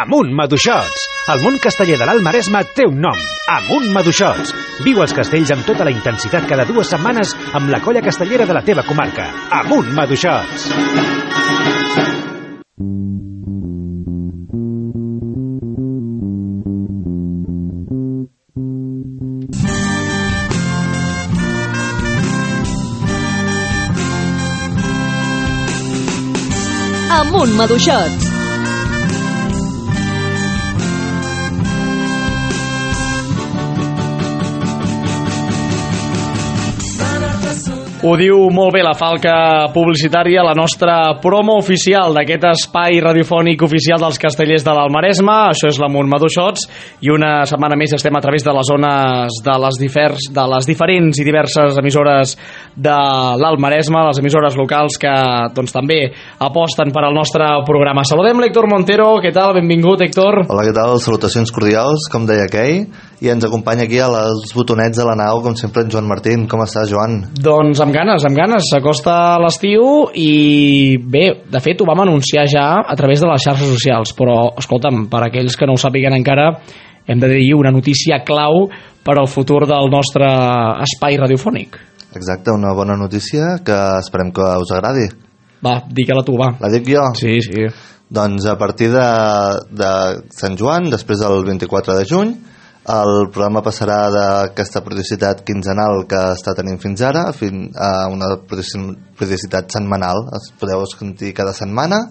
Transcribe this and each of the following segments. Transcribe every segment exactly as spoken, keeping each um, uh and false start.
Amunt Maduixots! El món casteller de l'Alt Maresme té un nom, Amunt Maduixots. Viu els castells amb tota la intensitat cada dues setmanes amb la colla castellera de la teva comarca. Amunt Maduixots! Amunt Maduixots! Ho diu molt bé la falca publicitària, la nostra promo oficial d'aquest espai radiofònic oficial dels castellers de l'Alt Maresme. Això és l'Amunt Maduixots i una setmana més estem a través de les zones de les, diferents, de les diferents i diverses emissores de l'Alt Maresme, les emissores locals que doncs, també aposten per al nostre programa. Saludem l'Héctor Montero. Què tal? Benvingut, Héctor. Hola, què tal? Salutacions cordials, com deia aquell. I ens acompanya aquí a les botonets de la nau, com sempre, en Joan Martín. Com estàs, Joan? Doncs amb ganes, amb ganes. S'acosta l'estiu i bé, de fet ho vam anunciar ja a través de les xarxes socials, però escolta'm, per aquells que no ho sàpiguen encara, hem de dir una notícia clau per al futur del nostre espai radiofònic. Exacte, una bona notícia que esperem que us agradi. Va, digue-la tu, va. La dic jo? Sí, sí. Doncs a partir de, de Sant Joan, després del vint-i-quatre de juny, el programa passarà d'aquesta periodicitat quinzenal que està tenint fins ara a una periodicitat setmanal. Es podeu sentir cada setmana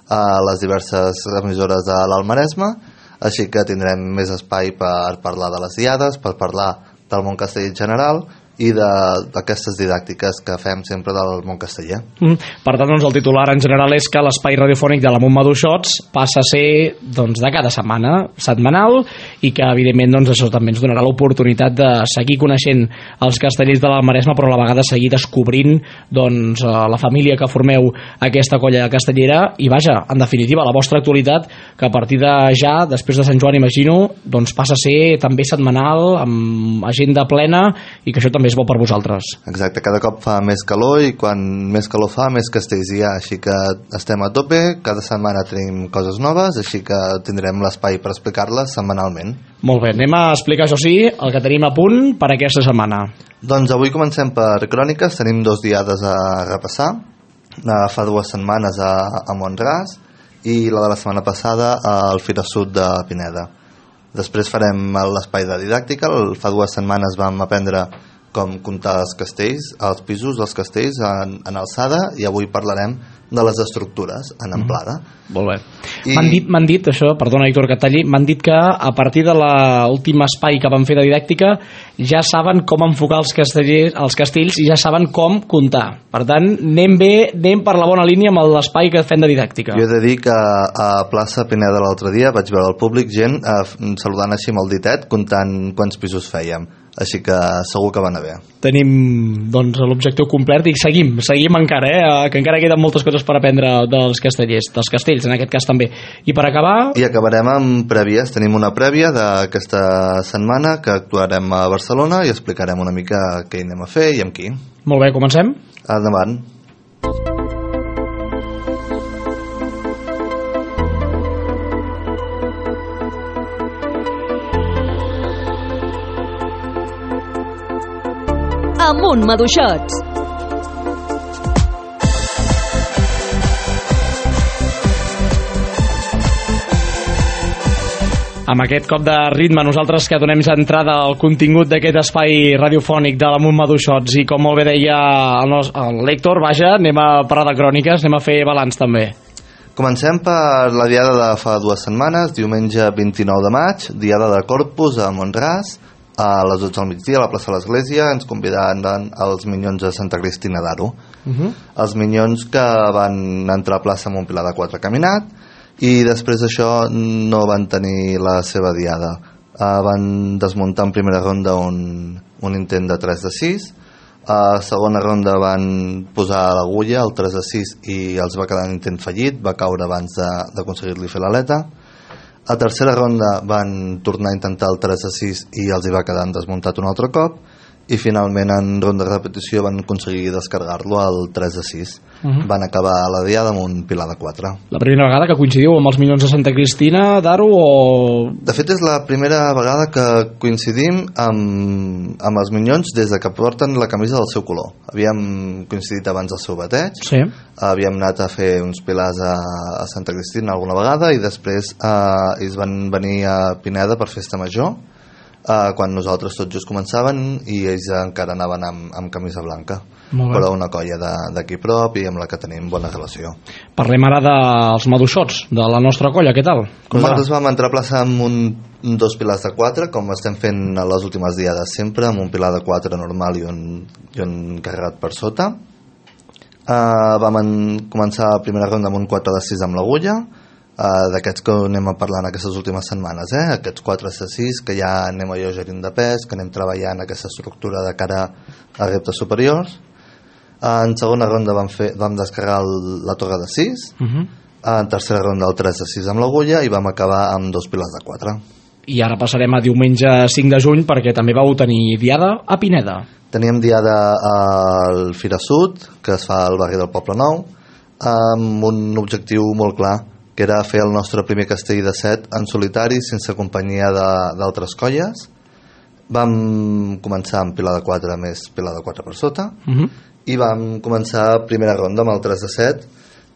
a les diverses emissores de l'Alt Maresme, així que tindrem més espai per parlar de les diades, per parlar del món casteller en general i d'aquestes didàctiques que fem sempre del món casteller. Mm. Per tant, doncs, el titular en general és que l'espai radiofònic de l'Amunt Maduixots passa a ser doncs, de cada setmana, setmanal, i que evidentment doncs, això també ens donarà l'oportunitat de seguir coneixent els castellers de l'Alt Maresme, però a la vegada seguir descobrint doncs, la família que formeu aquesta colla castellera i vaja, en definitiva, la vostra actualitat, que a partir de ja, després de Sant Joan, imagino, doncs passa a ser també setmanal, amb agenda plena, i que això també és bo per vosaltres. Exacte, cada cop fa més calor i quan més calor fa, més castells hi ha, així que estem a tope, cada setmana tenim coses noves, així que tindrem l'espai per explicar-les setmanalment. Molt bé, anem a explicar, això sí, el que tenim a punt per aquesta setmana. Doncs avui comencem per cròniques, tenim dos diades a repassar, fa dues setmanes a, a Mont-ras i la de la setmana passada al Fira Sud de Pineda. Després farem l'espai de didàctica, fa dues setmanes vam aprendre com comptar els castells, els pisos dels castells en, en alçada, i avui parlarem de les estructures en amplada. Mm. Molt bé. I... M'han dit, m'han dit, això, perdona Héctor que et talli, m'han dit que a partir de l'últim espai que van fer de didàctica ja saben com enfocar els castellers, els castells i ja saben com comptar. Per tant, anem bé, anem per la bona línia amb l'espai que fem de didàctica. Jo he de dir que a plaça Pineda l'altre dia vaig veure el públic, gent eh, saludant així amb el ditet, comptant quants pisos fèiem. Així que segur que va anar bé. Tenim doncs, l'objectiu complet i seguim, seguim encara, eh? Que encara queden moltes coses per aprendre dels castellers, dels castells en aquest cas també. I per acabar... I acabarem amb prèvies. Tenim una prèvia d'aquesta setmana que actuarem a Barcelona i explicarem una mica què hi anem a fer i amb qui. Molt bé, comencem? Endavant. Amunt Maduixots! Amb aquest cop de ritme, nosaltres que donem ja entrada al contingut d'aquest espai radiofònic de l'Amunt Maduixots, i com molt bé deia l'Héctor, vaja, anem a parlar de cròniques, anem a fer balanç també. Comencem per la diada de fa dues setmanes, diumenge vint-i-nou de maig, diada de Corpus a Mont-ras, a les dotze del migdia a la plaça de l'Església. Ens convidaran els Minyons de Santa Cristina d'Aro. Uh-huh. Els Minyons que van entrar a plaça amb un Pilar de quatre caminat i després d'això no van tenir la seva diada. Uh, van desmuntar en primera ronda un, un intent de tres de sis, a segona ronda van posar l'agulla, el tres de sis, i els va quedar un intent fallit, va caure abans d'aconseguir-li fer l'aleta. A tercera ronda van tornar a intentar el tres a sis i els hi va quedar desmuntat un altre cop, i finalment en ronda de repetició van aconseguir descarregar-lo al tres de sis. Uh-huh. Van acabar la diada amb un pilar de quatre. La primera vegada que coincidiu amb els Minyons de Santa Cristina, Daro, o...? De fet, és la primera vegada que coincidim amb, amb els Minyons des de que porten la camisa del seu color. Havíem coincidit abans del seu bateig, sí. Havíem anat a fer uns pilars a, a Santa Cristina alguna vegada i després eh, ells van venir a Pineda per festa major, Uh, quan nosaltres tots just començaven i ells encara anaven amb, amb camisa blanca, però una colla d'aquí prop i amb la que tenim bona relació. Parlem ara dels maduixots de la nostra colla, què tal? Com nosaltres va? Vam entrar a plaça amb un, dos pilars de quatre, com estem fent a les últimes diades sempre, amb un pilar de quatre normal i un, i un carregat per sota. Uh, vam en, començar la primera ronda amb un quatre de sis amb l'agulla. Uh, d'aquests que anem a parlar en aquestes últimes setmanes, eh? Aquests quatre de sis que ja anem a lleugerint de pes, que anem treballant aquesta estructura de cara a reptes superiors. Uh, en segona ronda vam, fer, vam descarregar el, la torre de sis, uh-huh. uh, en tercera ronda el tres de sis amb l'agulla i vam acabar amb dos pilars de quatre. I ara passarem a diumenge cinc de juny perquè també vau tenir diada a Pineda. Teníem diada al Fira Sud, que es fa al barri del Poble Nou, amb un objectiu molt clar, que era fer el nostre primer castell de set en solitari sense companyia d'altres colles. Vam començar amb pilar de quatre més pilar de quatre per sota, uh-huh. i vam començar primera ronda amb el tres de set,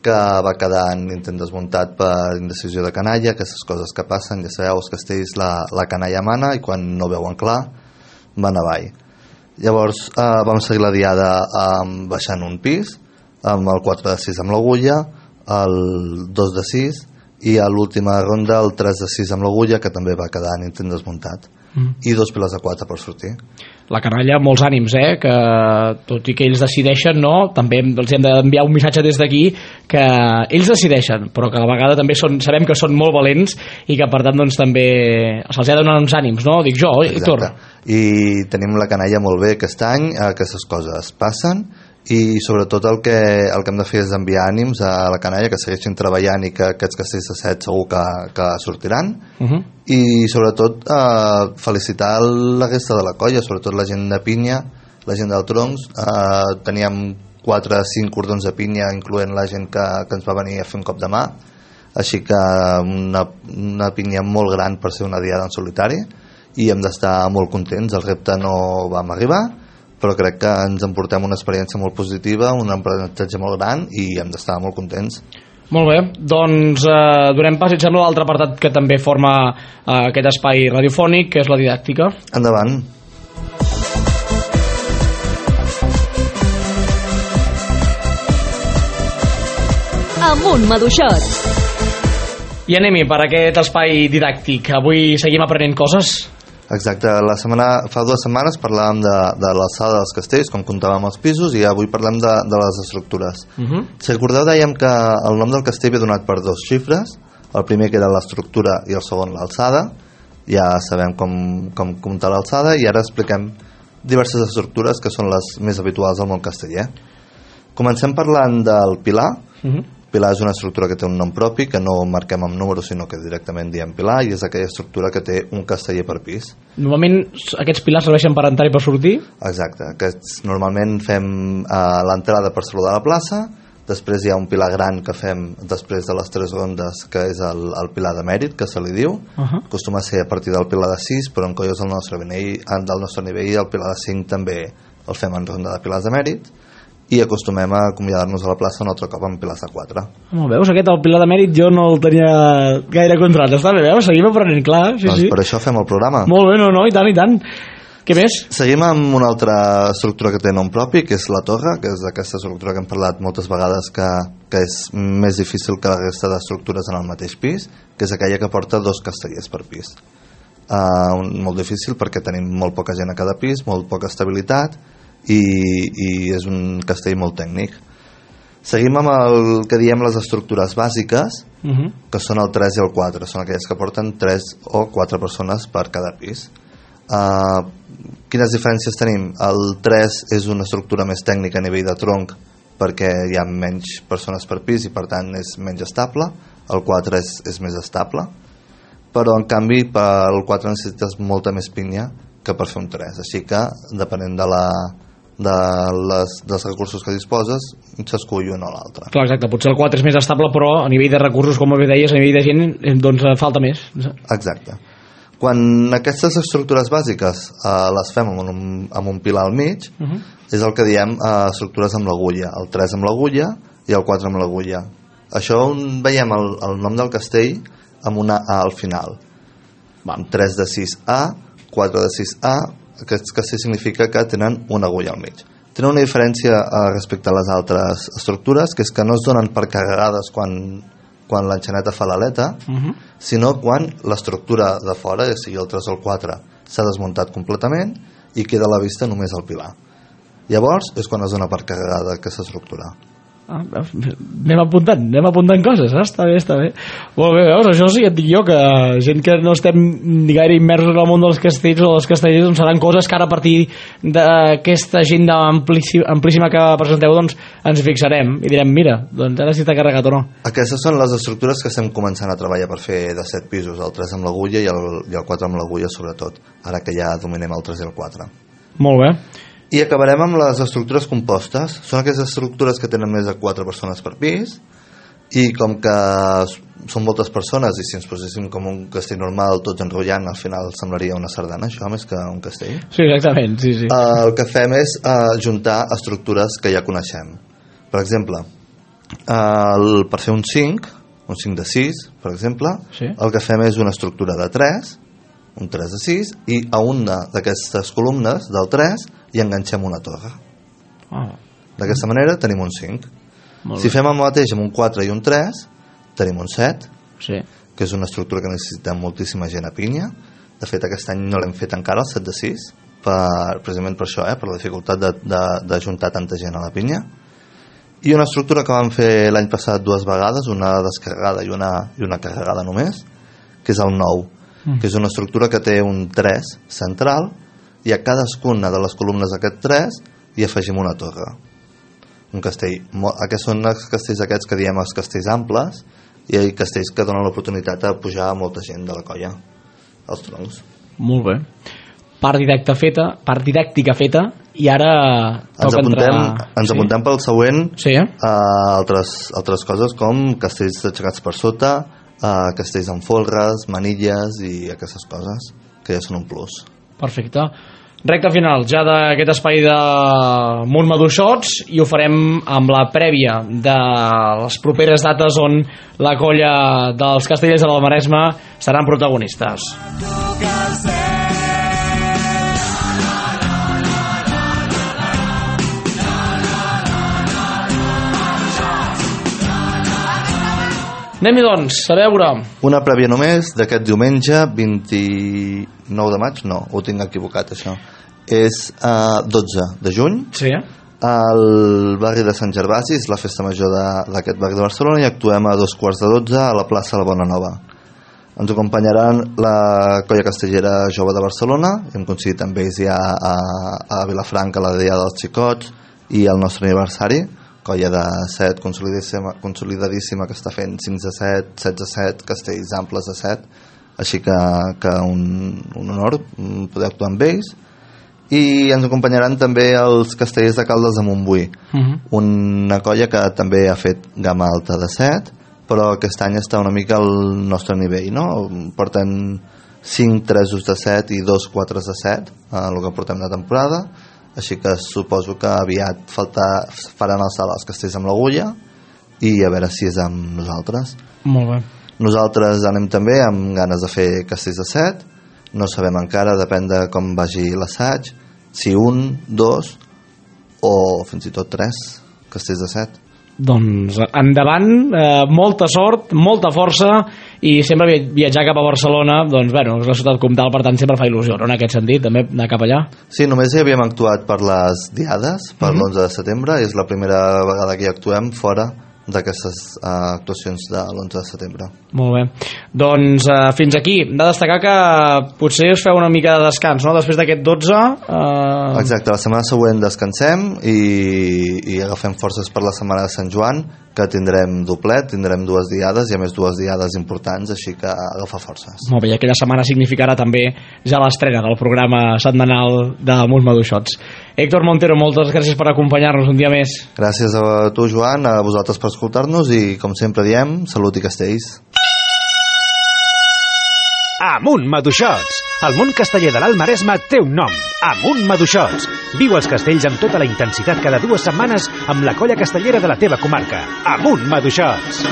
que va quedar en intent desmuntat per indecisió de canalla, aquestes coses que passen, ja sabeu, els castells la, la canalla mana i quan no veuen clar van avall. Llavors eh, vam seguir la diada eh, baixant un pis amb el quatre de sis amb l'agulla, el dos de sis i a l'última ronda el tres de sis amb l'agulla, que també va quedar en intent desmuntat, mm. i dos pilars de quatre per sortir. La canalla, molts ànims, eh? Que tot i que ells decideixen, no? També els hem d'enviar un missatge des d'aquí que ells decideixen, però que a la vegada també són, sabem que són molt valents i que per tant doncs també se'ls ha de donar uns ànims, no? Dic jo, Héctor. I tenim la canalla molt bé aquest any, aquestes coses passen i sobretot el que, el que hem de fer és enviar ànims a la canalla, que segueixin treballant i que aquests castells de set segur que, que sortiran, uh-huh. i sobretot eh, felicitar la resta de la colla, sobretot la gent de pinya, la gent del troncs. Eh, teníem quatre o cinc cordons de pinya, incloent la gent que, que ens va venir a fer un cop de mà, així que una, una pinya molt gran per ser una diada en solitari i hem d'estar molt contents. El repte no vam arribar, però crec que ens emportem una experiència molt positiva, un aprenentatge molt gran i hem d'estar molt contents. Molt bé, doncs eh, donem pas, et sembla, l'altre apartat que també forma eh, aquest espai radiofònic, que és la didàctica. Endavant. Amunt, maduixots. I anem-hi per aquest espai didàctic. Avui seguim aprenent coses. Exacte, la setmana, fa dues setmanes parlàvem de, de l'alçada dels castells, com comptàvem els pisos, i avui parlem de, de les estructures. Uh-huh. Si recordeu, dèiem que el nom del castell ve donat per dos xifres, el primer que era l'estructura i el segon l'alçada, ja sabem com, com comptar l'alçada, i ara expliquem diverses estructures que són les més habituals al món casteller. Comencem parlant del pilar. Uh-huh. Pilar és una estructura que té un nom propi, que no marquem amb números, sinó que directament diem pilar, i és aquella estructura que té un casteller per pis. Normalment aquests pilars serveixen per entrar i per sortir? Exacte, aquests normalment fem eh, l'entrada per saludar a la plaça, després hi ha un pilar gran que fem després de les tres rondes, que és el, el pilar de mèrit, que se li diu. Uh-huh. Acostuma a ser a partir del pilar de sis, però en colles del nostre nivell, del nostre nivell el pilar de cinc també el fem en ronda de pilars de mèrit, i acostumem a acomiadar-nos a la plaça un altre cop amb pilars de quatre. Oh, veus, aquest el pilar de mèrit jo no el tenia gaire controlat. Està bé, veus? Seguim aprenent, clar. Sí, doncs sí. Per això fem el programa. Molt bé, no, no, i tant, i tant. Què més? Seguim amb una altra estructura que té nom propi, que és la torre, que és aquesta estructura que hem parlat moltes vegades que, que és més difícil que la resta d'estructures en el mateix pis, que és aquella que porta dos castellers per pis. Uh, molt difícil perquè tenim molt poca gent a cada pis, molt poca estabilitat, I, i és un castell molt tècnic. Seguim amb el que diem les estructures bàsiques, uh-huh. que són el tres i el quatre, són aquelles que porten tres o quatre persones per cada pis. Uh, quines diferències tenim? El tres és una estructura més tècnica a nivell de tronc, perquè hi ha menys persones per pis i per tant és menys estable. El quatre és, és més estable, però en canvi per el quatre necessites molta més pinya que per fer un tres, així que depenent de la de les, dels recursos que disposes s'escull un o l'altre. Clar, exacte, potser el quatre és més estable, però a nivell de recursos, com bé deies, a nivell de gent, doncs falta més. Exacte. Quan aquestes estructures bàsiques eh, les fem amb un, amb un pilar al mig, uh -huh. és el que diem eh, estructures amb l'agulla, el tres amb l'agulla i el quatre amb l'agulla. Això veiem el, el nom del castell amb una A al final. Va. tres de sis A, quatre de sis A, aquest castell significa que tenen una agulla al mig. Tenen una diferència eh, respecte a les altres estructures, que és que no es donen per carregades quan, quan l'enxaneta fa l'aleta, uh -huh. sinó quan l'estructura de fora, ja sigui el tres o el quatre, s'ha desmuntat completament i queda a la vista només el pilar. Llavors és quan es dona per carregada aquesta estructura. Ah, anem apuntant, anem apuntant coses, eh? Està bé, està bé. Molt bé, veus, això sí que et dic jo, que gent que no estem ni gaire immersos en el món dels castells o dels castellers, doncs seran coses que ara a partir d'aquesta agenda amplíssima, amplíssima que presenteu, doncs ens fixarem i direm, mira, doncs ara sí està carregat o no. Aquestes són les estructures que estem començant a treballar per fer de set pisos, el tres amb l'agulla i el, i el quatre amb l'agulla sobretot, ara que ja dominem el tres i el quatre. Molt bé. I acabarem amb les estructures compostes. Són aquestes estructures que tenen més de quatre persones per pis, i com que són moltes persones i si ens poséssim com un castell normal tots enrotllant, al final semblaria una sardana, això, més que un castell. Sí, exactament, sí, sí. Uh, el que fem és uh, juntar estructures que ja coneixem. Per exemple, uh, el, per fer un cinc, un cinc de sis, per exemple, sí. El que fem és una estructura de tres, un tres de sis, i a una d'aquestes columnes del tres i enganxem una torre. Oh. D'aquesta manera tenim un cinc. Si fem el mateix amb un quatre i un tres, tenim un set, sí. Que és una estructura que necessita moltíssima gent a pinya. De fet, aquest any no l'hem fet encara, el set de sis, per, precisament per això, eh, per la dificultat de, de, de juntar tanta gent a la pinya. I una estructura que vam fer l'any passat dues vegades, una descarregada i una, i una carregada només, que és el nou, mm. que és una estructura que té un tres central, i a cadascuna de les columnes d'aquest tres hi afegim una torre. Un castell, aquests són els castells aquests que diem els castells amples, i hi ha castells que donen l'oportunitat de pujar a molta gent de la colla als troncs. Molt bé. Part didàctica feta, part didàctica feta, i ara ens apuntem, entrar... ens sí? apuntem pel següent sí, eh? a altres, altres coses com castells aixecats per sota, a castells amb folres, manilles i aquestes coses que ja són un plus. Perfecte. Recta final ja d'aquest espai de Montmaduixots, i ho farem amb la prèvia de les properes dates on la colla dels Castellers de l'Almaresme seran protagonistes. Anem-hi doncs, a veure. Una prèvia només d'aquest diumenge vint-i-nou de maig, no, ho tinc equivocat això, és uh, dotze de juny, sí. Al barri de Sant Gervasi, és la festa major d'aquest barri de Barcelona, i actuem a dos quarts de dotze a la plaça La Bona Nova. Ens acompanyaran la colla castellera jove de Barcelona, hem coincidit amb ells ja a, a Vilafranca, la Dia dels Xicots i el nostre aniversari, colla de set consolidadíssima, consolidadíssima que està fent cinc de set, set de set, castells amples de set, així que, que un, un honor poder actuar amb ells. I ens acompanyaran també els castellers de Caldes de Montbui, uh-huh. una colla que també ha fet gamma alta de set, però aquest any està una mica al nostre nivell, no? Portem cinc tresos de set i dos quatre de set, en el que portem de temporada, així que suposo que aviat falta, faran el salt als castells amb l'agulla i a veure si és amb nosaltres. Molt bé. Nosaltres anem també amb ganes de fer castells de set, no sabem encara, depèn de com vagi l'assaig, si un, dos o fins i tot tres castells de set. Doncs endavant, eh, molta sort, molta força, i sempre viatjar cap a Barcelona, doncs bueno, és la ciutat comtal, per tant sempre fa il·lusió, no? En aquest sentit, també anar cap allà. Sí, només hi havíem actuat per les diades, per mm-hmm. l'onze de setembre, i és la primera vegada que hi actuem fora d'aquestes uh, actuacions de l'onze de setembre. Molt bé. Doncs uh, fins aquí. Hem de destacar que potser us feu una mica de descans, no? Després d'aquest dotze... Uh... Exacte, la setmana següent descansem i, i agafem forces per la setmana de Sant Joan, que tindrem doblet, tindrem dues diades i a més dues diades importants, així que agafa forces. Molt bé, i aquella setmana significarà també ja l'estrena del programa setmanal de Amunt Maduixots. Héctor Montero, moltes gràcies per acompanyar-nos un dia més. Gràcies a tu, Joan, a vosaltres per escoltar-nos i, com sempre diem, salut i castells. Amunt Maduixots! El món casteller de l'Alt Maresme té un nom, Amunt Maduixots. Viu els castells amb tota la intensitat cada dues setmanes amb la colla castellera de la teva comarca. Amunt Maduixots!